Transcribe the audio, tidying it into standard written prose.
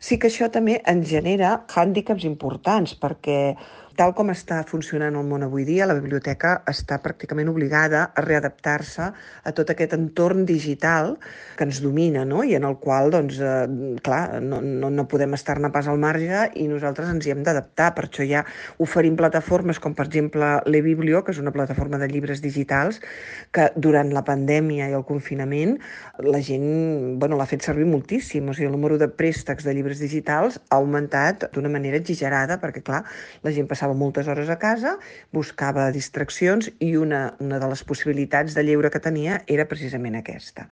Sí que això també ens genera hàndicaps importants, perquè tal com està funcionant el món avui dia, la biblioteca està pràcticament obligada a readaptar-se a tot aquest entorn digital que ens domina, no? I en el qual, doncs, clar, no podem estar-ne pas al marge i nosaltres ens hi hem d'adaptar. Per això ja oferim plataformes com, per exemple, l'eBiblio, que és una plataforma de llibres digitals, que durant la pandèmia i el confinament la gent, bueno, l'ha fet servir moltíssim. O sigui, el número de préstecs de llibres digitals ha augmentat d'una manera exagerada perquè, clar, la gent passava moltes hores a casa, buscava distraccions i una de les possibilitats de lleure que tenia era precisament aquesta.